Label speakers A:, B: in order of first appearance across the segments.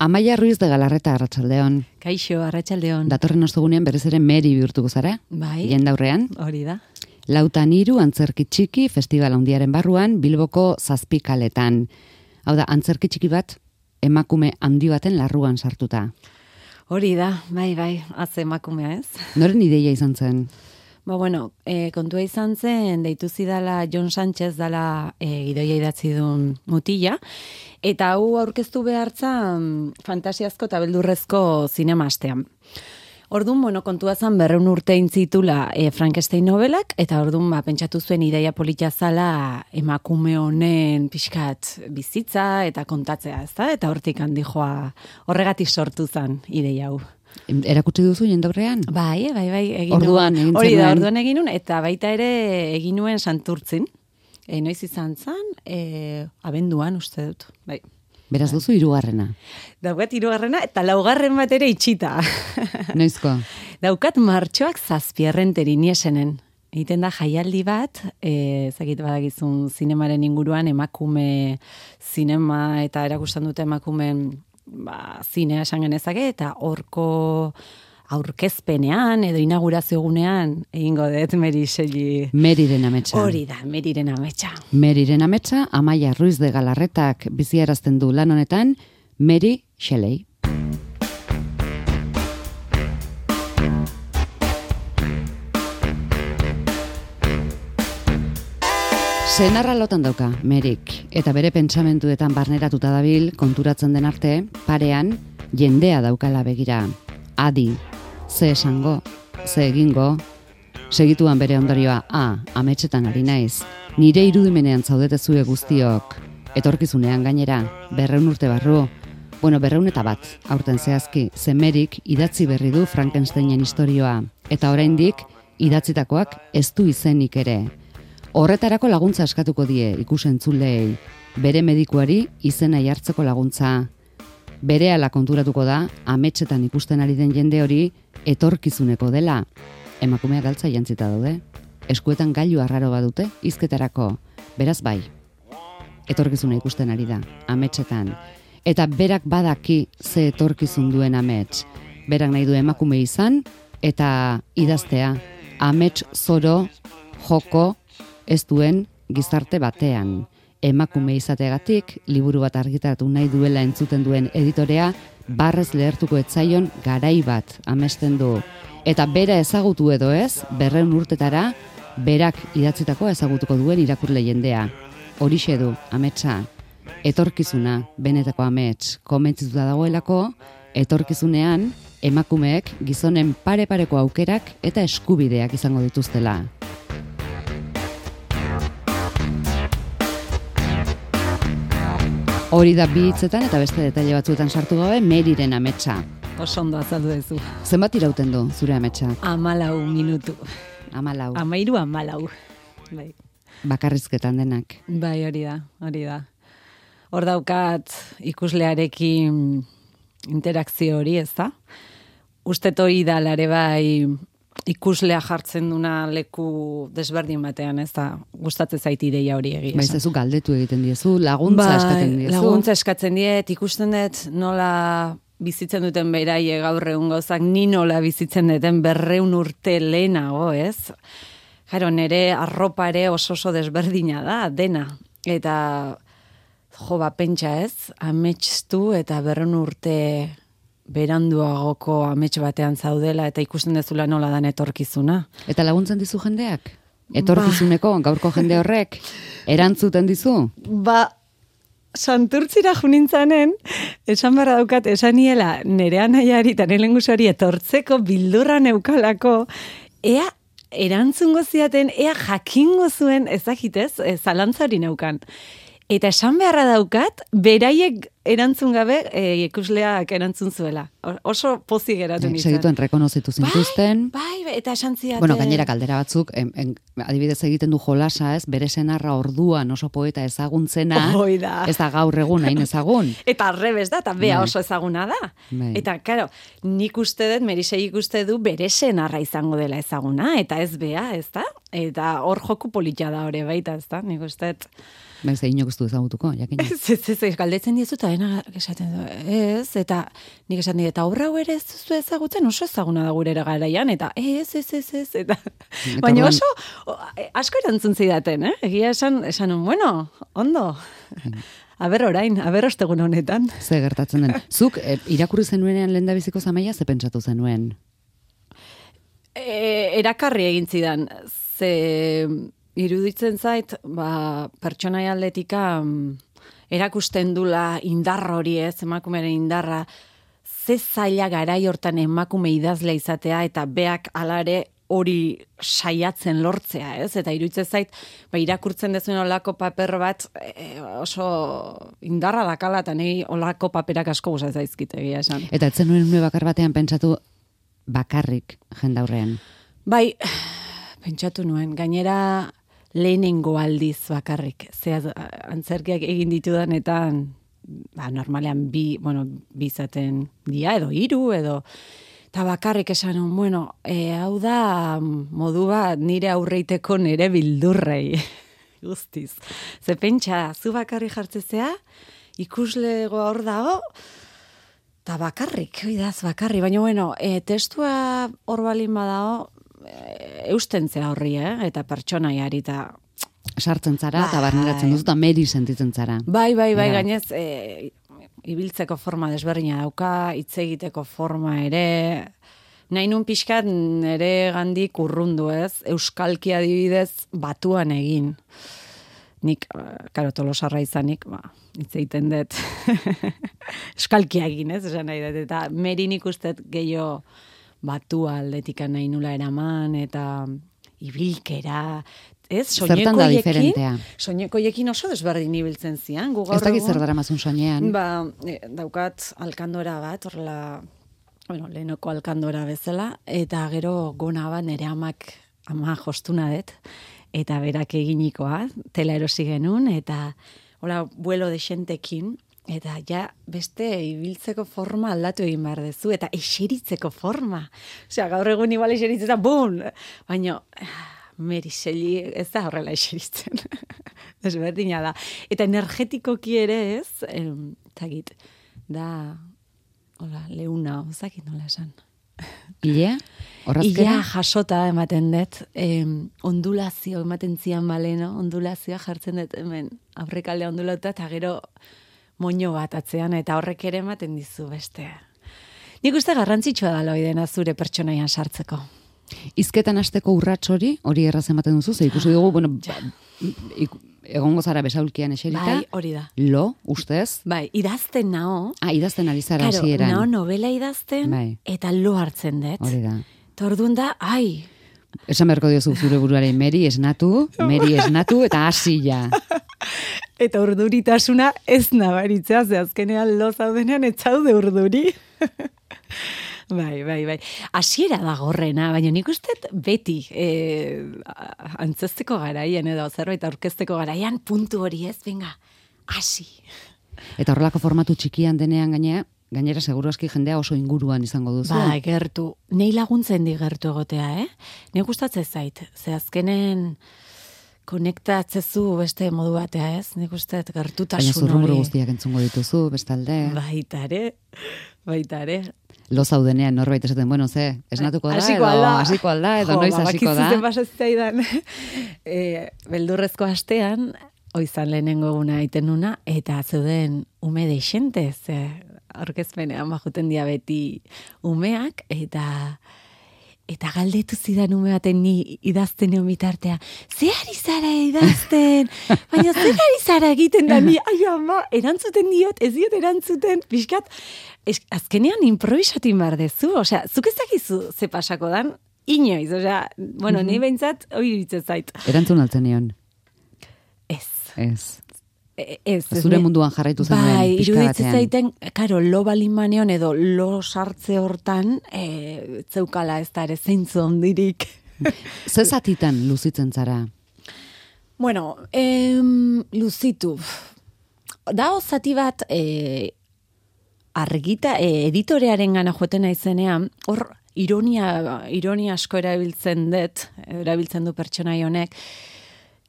A: Amaia Ruiz de Galarreta, arratsaldeon.
B: Kaixo, arratsaldeon.
A: Datorren ostegunean berriz ere Meri bihurtuko zara?
B: Bai.
A: Jendaurrean.
B: Hori da.
A: 4 antzerki txiki festival handiaren barruan Bilboko 7 kaletan. Hau da, antzerki txiki bat emakume handi baten larruan sartuta.
B: Hori da, bai, atze emakumea ez.
A: Noren ideia izan zen?
B: Kontua izan zen, deitu zidala Jon Sánchez dala gidoia idatzi duen mutila, eta hau aurkeztu behartzan fantasiazko eta beldurrezko zinema astean. Orduan, kontua zen 200 urte intzitula Frankenstein novelak, eta orduan pentsatu zuen ideia polita zala emakume honen pixkat bizitza eta kontatzea, ezta? Eta hortik handi joa horregatik sortu zen ideia hau.
A: Erakutsi duzu jendaurrean?
B: Bai, egin
A: orduan egin
B: hori da,
A: zenuen.
B: orduan egin nuen, eta baita ere egin nuen Santurtzin. Noiz izan zen, abenduan uste dut, bai.
A: Beraz duzu 3.
B: Daukat 3. eta 4. bat ere itxita.
A: Noizko?
B: Daukat martxoak 7. niesenen. Egiten da jaialdi bat, ezagit badakizun zinemaren inguruan emakume zinema eta erakusten dute emakumeen zinea esan genezake, eta horko aurkezpenean edo inaugurazio egunean egingo dut
A: Meriren ametsa.
B: Hori da, Meriren ametsa.
A: Meriren ametsa, Amaia Ruiz de Galarretak biziarazten du lan honetan, Mary Shelley. Senarra lotan dauka, Merik, eta bere pentsamentuetan barneratuta dabil, konturatzen den arte, parean, jendea daukala begira. Adi, ze esango, ze egingo, segituan bere ondorioa, ametsetan ari naiz, nire irudimenean zaudetezue guztiok, etorkizunean gainera, 200 urte barru, 201 aurten zehazki, ze Merik idatzi berri du Frankensteinen istorioa, eta oraindik idatzitakoak ez du izenik ere. Horretarako laguntza eskatuko die ikusentzulei, bere medikuari izena jartzeko laguntza. Berehala konturatuko da, ametsetan ikusten ari den jende hori etorkizuneko dela. Emakumeak galtza jantzita daude. Eskuetan gailu arraro badute, hizketarako. Beraz bai, etorkizuna ikusten ari da, ametsetan. Eta berak badaki ze etorkizun duen amets. Berak nahi du emakume izan, eta idaztea, amets zoro, joko, ez duen gizarte batean. Emakume izateagatik, liburu bat argitaratu nahi duela entzuten duen editorea, barrez lehertuko etzaion garai bat amesten du. Eta bera ezagutu edo ez, 200 urtetara, berak idatzitako ezagutuko duen irakurle jendea. Horixe du, ametsa, etorkizuna, benetako amets, komentzituta dagoelako, etorkizunean, emakumeek gizonen pare-pareko aukerak eta eskubideak izango dituztela. Hori da 2 hitzetan eta beste detaile batzuetan sartu gabe, Meriren ametsa.
B: Oso ondo azaldu duzu.
A: Zenbat irauten du zure ametsa?
B: 14 minutu.
A: 14.
B: 14. Bai.
A: Bakarrizketan denak.
B: Bai, hori da. Hor daukat ikuslearekin interakzio hori, ez da? Ustet hori da lare bai ikuslea jartzen duna leku desberdin batean, ez da, gustatzen zait ideia hori egia.
A: Baiz ezu galdetu egiten diezu, laguntza eskatzen diezu.
B: Laguntza eskatzen diet, ikusten dut nola bizitzen duten beraie gaur egun gauzak, ni nola bizitzen duten 200 urte lehenago, ez? Jaro, nire arropa ere oso desberdina da, dena. Eta, pentsa ez, ametstu eta 200 urte beranduagoko amets batean zaudela eta ikusten dezula nola dan etorkizuna.
A: Eta laguntzen dizu jendeak? Etorkizuneko, gaurko jende horrek, erantzuten dizu?
B: Santurtzira junintzanen, esan barra daukat, esan niela nire anaiari eta nire lengusuari etortzeko bildurra neukalako, ea erantzungo ziaten, ea jakingo zuen, ezagitez, zalantzari neukan. Eta esan beharra daukat, beraiek erantzun gabe, ikusleak erantzun zuela. Oso pozik geratu nintzen.
A: Segituen rekonozitu zintuzten.
B: Bai, eta esan ziaten.
A: Bueno, gainera kaldera batzuk, adibidez egiten du jolasa, ez, bere senarra orduan oso poeta ezaguntzena.
B: Oida.
A: Ez da gaur egun, hain ezagun.
B: Eta arrebez da, eta bea oso ezaguna da. Eta, karo, nik uste dut, Merisei ikuste du bere senarra izango dela ezaguna, eta ez bea, ez da? Eta hor joku polita da hori baita, ez da? Nik uste dut
A: Bez, inok ez du ezagutuko, jakina.
B: Ez, galdetzen diezu, eta dena esaten du, ez, eta nik esaten dut, eta aurra ere ez zu ezagutzen, oso ezaguna da gure garaian, eta ez, eta baina oso, asko erantzun zidaten, egia esan, bueno, ondo, aber orain, aber ostegun honetan.
A: Ze gertatzen den. Zuk, irakurri zenuenean lehendabiziko zamaia, ze pentsatu zenuen?
B: Erakarri egin zidan, ze iruditzen zait, pertsonai aldetika erakusten dula indar hori ez, emakumeren indarra, ze zaila garai hortan emakume idazle izatea, eta beak alare hori saiatzen lortzea, ez? Eta iruditzen zait, irakurtzen dezuen olako paper bat oso indarra dakala, eta nahi olako paperak asko gustatzen zaizkit egia esan.
A: Eta etzen nuen une bakar batean pentsatu bakarrik jendaurrean.
B: Bai, pentsatu nuen, gainera lehenengo aldiz bakarrik. Antzerkiak egin ditudanetan, normalean bi izaten dia, edo 3, edo eta bakarrik esan, hau da modu bat nire aurreiteko nire bildurrei. Guztiz. Ze pentsa, zu bakarrik jartzezea, ikuslego hor dago, eta bakarrik, oidaz bakarrik. Baina, testua hor balin badago, eustentzea horri, eta pertsonaiari, eta
A: sartzen zara, eta barneratzen duzu, eta meri sentitzen zara.
B: Bai, gainez, ibiltzeko forma desberdina dauka, hitz egiteko forma ere, nahi nun pixkat nere gandik urrundu ez, euskalki adibidez batuan egin. Nik, tolosarra izanik, hitz egiten dut, euskalki egin ez, esan nahi dut, eta meri nik ustet gehiago batua aldetikan nahi nula eraman, eta ibilkera, ez, soinekoiekin oso desberdin ibiltzen zian.
A: Ez dakit zer daramazun soinean.
B: Daukat alkandora bat, horrela, lehenoko alkandora bezala, eta gero gona bat nire ama jostuna dut, eta berak eginikoa, tela erosi genuen, eta hola, vuelo de xentekin, eta ja beste ibiltzeko forma aldatu egin behar dezu, eta eseritzeko forma. Osea, gaur egun igual eseritzeta, bum! Baina, Meriseli ez da horrela eseritzen. Desberdina da. Eta energetikoki ere ez, zagit, da, hola, leuna, zagit nola esan.
A: Ilea? Horrazkera?
B: Ilea jasota ematen dut, ondulazio ematen zian baleno, ondulazioa jartzen dut hemen, aurrekaldea ondulauta, eta gero moño bat atzean, eta horrek ere ematen dizu beste. Nik uste garrantzitsua da loidena zure pertsonaian sartzeko.
A: Hizketan hasteko urrats hori erraz ematen duzu, ze ikusi dugu, egongo zara besaulkian eserita.
B: Bai, hori da.
A: Lo, ustez?
B: Bai, idazten nao.
A: Idazten ari zara hasieran.
B: Nao novela idazten, eta lo hartzen dut.
A: Hori da.
B: Eta orduan da,
A: esan beharko diozu zure buruaren Meri esnatu, eta hasi ja.
B: Eta urduritasuna ez nabaritzea, ze azkenean lo zaudenean ez zaude urduri. Bai. Hasiera da gorrena, baina nik uste beti antzesteko garaian edo zerbait aurkezteko garaian puntu hori ez, venga, hasi. Eta
A: horrelako formatu txikian denean gainera seguru aski jendea oso inguruan izango duzu.
B: Bai, gertu. Nei laguntzen di gertu egotea, Nei gustatzen zait, ze azkenen konektatzezu beste modu batea, ez? Nik uste gertutasun hori.
A: Baina zurrumuru guztiak entzungo dituzu, bestalde.
B: Baita ere.
A: Lo zaudenean norbait esaten, esnatuko da, hasiko alda, edo noiz hasiko da.
B: Bakizuzen pasatzaidan. Beldurrezko astean, oizan lehenengo eguna egiten nuna, eta zeuden ume deixente, aurkezpenean bajuten dia beti umeak, eta galdetu zidan ume baten ni idazten egon bitartea. Ze ari zara idazten? Baina zer ari zara egiten da ni? Ai ama, erantzuten diot, ez diot erantzuten. Piskat, azkenean improvisatu behar dezu. Osea, zuk ez dakizu ze pasako dan, inoiz. Osea, ni behintzat, hori ditzen zait.
A: Erantzun altzen nion? Ez. Zure munduan jarraitu zen duen
B: pixka batean. Bai, iruditzen zaiten, lo balimaneon edo lo sartze hortan, zeukala ez da ere zeintzu ondirik.
A: Ze zatitan luzitzen zara?
B: Luzitu. Da zati bat, argita, editorearen gana joeten naizenean, hor ironia asko erabiltzen du pertsonai honek,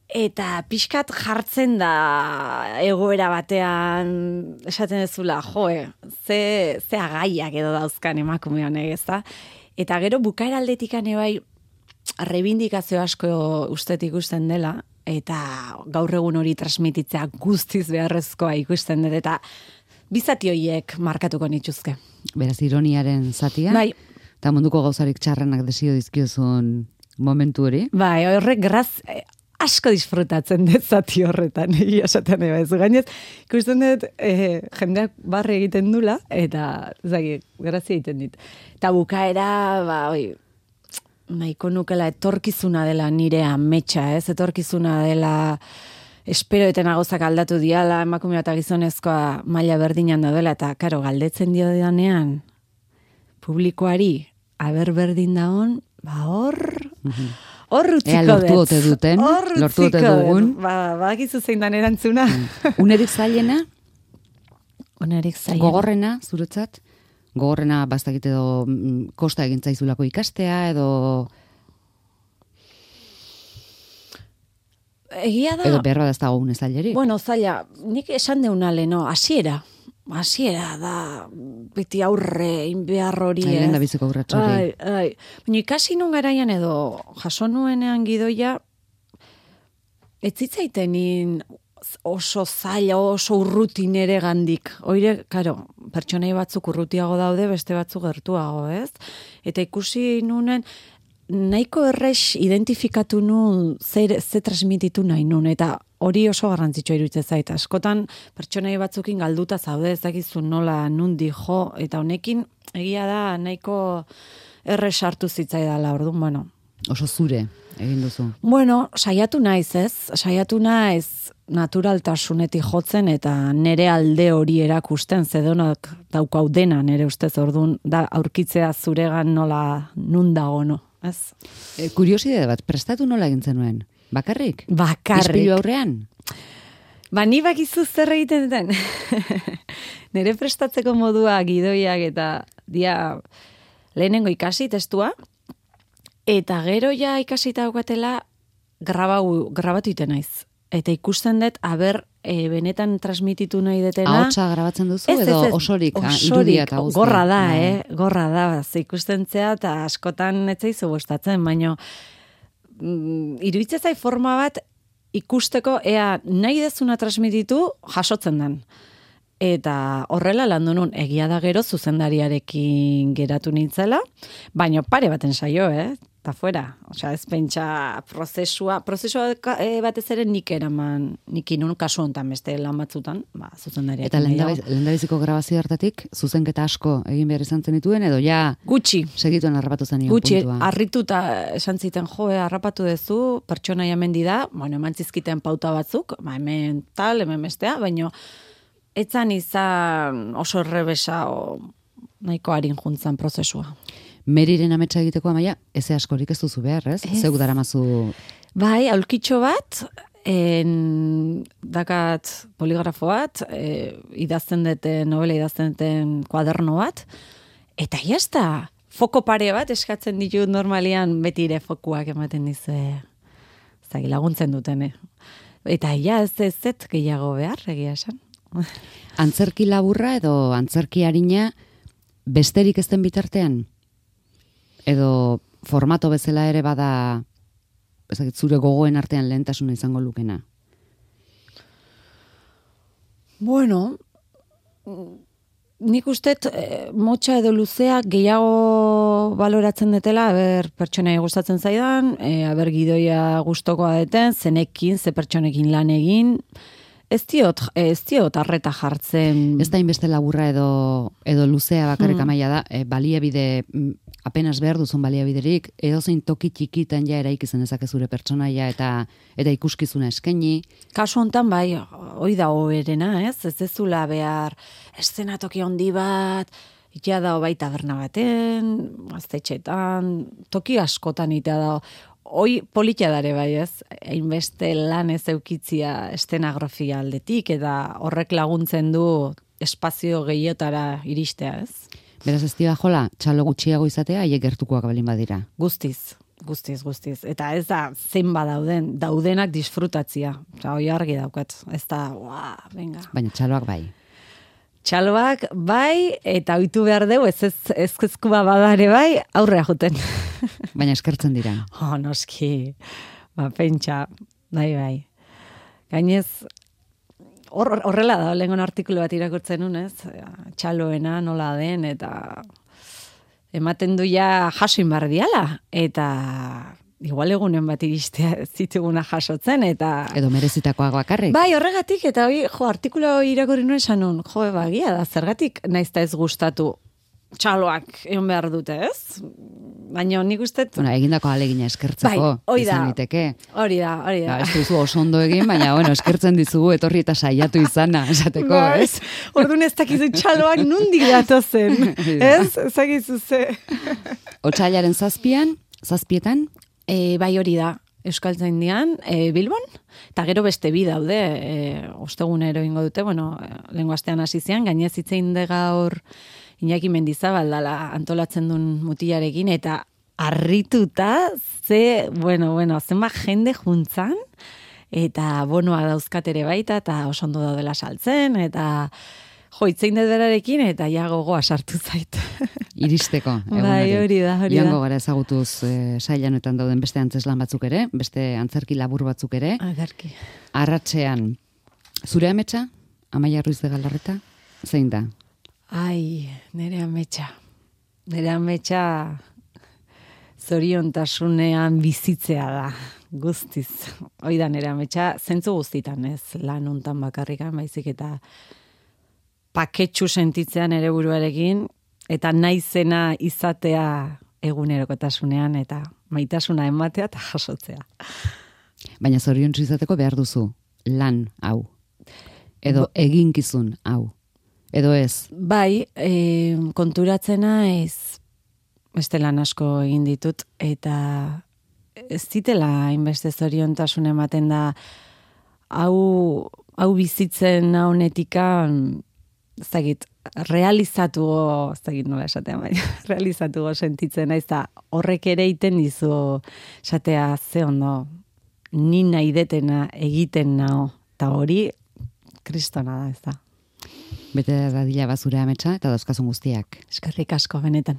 B: Eta pixkat jartzen da egoera batean, esaten dezula, ze agaiak edo dauzkan emakume honek, ezta? Eta gero bukaera aldetikan bai reivindikazio asko ustet ikusten dela, eta gaur egun hori transmititzea guztiz beharrezkoa ikusten dut, eta bizati horiek markatuko nituzke.
A: Beraz, ironiaren zatia,
B: bai.
A: Eta munduko gauzarik txarrenak desio dizkiozun momentu hori.
B: Bai, horrek asko disfrutatzen dut zati horretan, esaten ez. Gainez, ikusten dut, jendeak barre egiten dula, eta, grazia egiten dit. Eta bukaera, nahiko nukela etorkizuna dela nire ametsa, ez? Etorkizuna dela esperoeten agozak aldatu diala, emakumea eta gizonezkoa maila berdinan daudela, eta, karo, galdetzen dio danean, publikoari, aber berdin daon, hor utziko dut.
A: Lortu ote dugun.
B: Bakizu zein dan erantzuna.
A: Unerik zailena?
B: Unerik zailena.
A: Gogorrena, zuretzat? Gogorrena bastakit edo kosta egin zaizulako ikastea, edo...
B: Egia da...
A: Edo behar badazta une zailerik.
B: Bueno, zaila, nik esan deuna leno, hasiera da, beti aurre, inbehar hori, ez?
A: Lehen da biziko aurratxo hori.
B: Baina ikasi nun garaian edo, jaso nuenean gidoia, ez zitzaitenin oso zaila, oso urrutin ere gandik. Oire, karo, pertsonai batzuk urrutiago daude, beste batzuk gertuago, ez? Eta ikusi nunen, nahiko errex identifikatu nun ze transmititu nahi nun, eta hori oso garrantzitsua iruditzen zait. Askotan pertsonai batzukin galduta zaude, ez dakizu nola nundi jo, eta honekin egia da nahiko errex hartu zitzaidala, orduan, bueno.
A: Oso zure egin duzu.
B: Bueno, saiatu naiz, ez? Saiatu naiz naturaltasunetik jotzen eta nere alde hori erakusten, zedonak daukau dena nere ustez, orduan, da aurkitzea zuregan nola nun dago, no? Ez?
A: Kuriosidade bat, prestatu nola egin zenuen? Bakarrik? Ispilu aurrean?
B: Ni bakizu zer egiten den. Nere prestatzeko modua gidoiak eta dia lehenengo ikasi testua, eta gero ja ikasita daukatela grabatu iten naiz. Eta ikusten dut, benetan transmititu nahi detena.
A: Ahotsa grabatzen duzu edo osorik irudia eta guzti?
B: Gorra da, gorra da. Ikusten zea eta askotan etzaizu gustatzen, baina iruditzen zai forma bat ikusteko ea nahi dezuna transmititu jasotzen den. Eta horrela landu nun, egia da gero zuzendariarekin geratu nintzela, baina pare baten saio, eta fuera. Osea, ez pentsa prozesua batez ere nik eraman, nik inun kasu honetan beste lan batzutan, zuzendariarekin.
A: Eta lehendabiziko grabazio hartatik, zuzenketa asko egin behar izan zenituen, edo ja...
B: Gutxi.
A: Segituen harrapatu zenio
B: puntua.
A: Gutxi,
B: harrituta esan ziten, harrapatu dezu, pertsonaia mendi da, eman zizkiten pauta batzuk, hemen tal, hemen bestea, baina etzan izan oso errebesa nahiko harin juntzan prozesua.
A: Meriren ametsa egiteko Amaia, eze askorik ez duzu behar, ez? Zeuk daramazu...
B: Bai, aulkitxo bat, dakat poligrafo bat, novela idazten duten kuaderno bat, eta jazta, foko pare bat eskatzen ditut normalian beti ere fokuak ematen laguntzen duten. Eta ez gehiago behar, egia esan.
A: Antzerki laburra edo antzerki harina besterik ezten bitartean? Edo formato bezala ere bada zure gogoen artean lehentasuna izango lukena?
B: Bueno, nik ustet motxa edo luzea gehiago baloratzen detela, pertsonai gustatzen zaidan, gidoia gustokoa deten, zenekin, ze pertsonekin lan egin, Ez diot arreta jartzen.
A: Ez da inbeste laburra edo luzea bakarrik Amaia da, baliabide, apenas behar duzun baliabiderik, edozein toki txikitan ja eraik izan ezake zure pertsonaia eta ikuskizuna eskaini.
B: Kasu hontan bai, hoi da hoberena, ez? Ez ezula behar eszenatoki handi bat, itea da bai taberna baten, gaztetxetan, toki askotan itea da. Hoi politia dare bai, ez? Hainbeste lan ez eukitzia estenografia aldetik, eta horrek laguntzen du espazio gehiotara iristea, ez?
A: Beraz ez dira jola, txalo gutxiago izatea, haiek gertukoak balin badira.
B: Guztiz. Guztiz. Eta ez da zenba daudenak disfrutatzia. Osa, hoi argi daukat. Ez da, venga.
A: Baina txaloak bai.
B: Txaloak bai, eta ohitu behar dugu, ezkezkua badare bai, aurrea juten.
A: Baina eskertzen dira.
B: Noski. Pentsa, bai. Gainez, horrela da, lehengon artikulu bat irakurtzen nunez, txaloena nola den, eta ematen du ja jasoin bar diala, eta igual egunen bat iristea zituguna jasotzen, eta...
A: Edo merezitakoak bakarrik.
B: Bai, horregatik, eta artikulu irakurri nuen esan nun, bagia da, zergatik naizta ez gustatu txaloak egon behar dute, ez? Baina nik ustet...
A: Egindako ahalegina eskertzeko, izan liteke.
B: Hori da.
A: Ez duzu oso ondo egin, baina, eskertzen dizugu etorri eta saiatu izana, esateko, ez?
B: Orduan ez dakizu txaloak nundik datozen, ez? Ezagizu ze.
A: Otsailaren zazpietan?
B: Bai hori da, Euskaltzaindian, Bilbon, eta gero beste bi daude, ostegunero ingo dute, lehengo astean hasi zian, gainez hitzein de gaur Iñaki Mendizabal dala antolatzen duen mutilarekin, eta harrituta zenba jende juntzan, eta bonoa dauzkat ere baita, eta oso ondo daudela saltzen, eta hitzein dut berarekin, eta ja gogoa sartu zait.
A: Iristeko, egunari.
B: Bai, hori da.
A: Joango gara ezagutuz sailanetan dauden beste antzeslan batzuk ere, beste antzerki labur batzuk ere.
B: Agarki.
A: Arratsean, zure ametsa, Amaia Ruiz de Galarreta, zein da?
B: Ai, nere ametsa zoriontasunean bizitzea da, guztiz. Hoi da nere ametsa, zentzu guztitan ez, lan hontan bakarrikan, baizik eta paketxu sentitzean ere buruarekin, eta naizena izatea egunerokotasunean, eta maitasuna ematea eta jasotzea.
A: Baina zoriontsu izateko behar duzu lan hau, edo eginkizun hau. Edo ez? Bai,
B: konturatzena beste lan asko egin ditut, eta ez zitela hainbeste zoriontasun ematen da hau bizitzen honetika, ez dakit, realizatugo sentitzen, ez da horrek ere iten dizu esatea ze ondo, ni nahi detena egiten nao, eta hori kristona da, ez da.
A: Bete da dila bazure ametsa eta dauzkazun guztiak.
B: Eskerrik asko benetan.